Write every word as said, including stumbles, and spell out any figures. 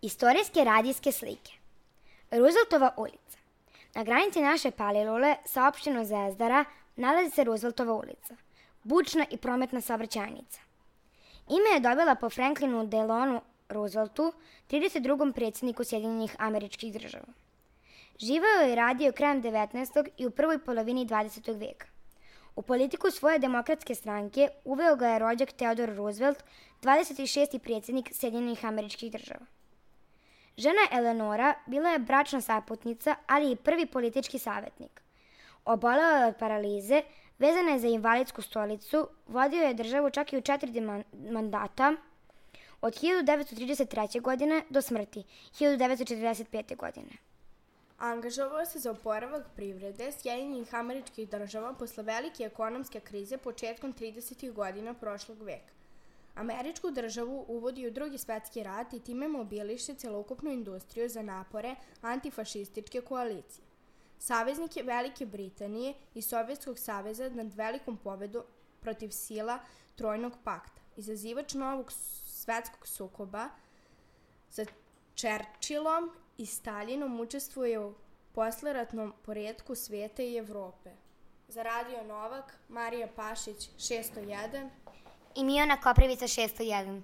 Istorijske radijske slike. Rooseveltova ulica. Na granici naše Palilule sa opštinom Zvezdara nalazi se Rooseveltova ulica, bučna i prometna saobraćajnica. Ime je dobila po Franklinu Delano Rooseveltu, trideset drugom predsjedniku Sjedinjenih Američkih Država. Živeo je i radio krajem devetnaestog i u prvoj polovini dvadesetog veka. U politiku svoje demokratske stranke uveo ga je rođak Theodore Roosevelt, dvadeset šesti predsjednik Sjedinjenih Američkih Država. Žena Eleonora bila je bračna saputnica, ali i prvi politički savjetnik. Obolela je od paralize, vezana je za invalidsku stolicu, vodio je državu čak i u četiri mandata, od hiljadu devetsto trideset treće. godine do smrti, hiljadu devetsto četrdeset pete. godine. Angažovao se za oporavak privrede Sjedinjenih Američkih Država posle velike ekonomske krize početkom tridesetih godina prošlog veka. Američku državu uvodi u Drugi svetski rat i time mobiliše celokupnu industriju za napore antifašističke koalicije. Saveznik je Velike Britanije i Sovjetskog saveza nad velikom pobedom protiv sila Trojnog pakta. Izazivač novog svetskog sukoba sa Churchillom i Staljinom učestvuje u posleratnom poretku sveta i Evrope. Za Radio Novak, Marija Pašić, šesto jedan i Mijona Koprivica, šesto jedan.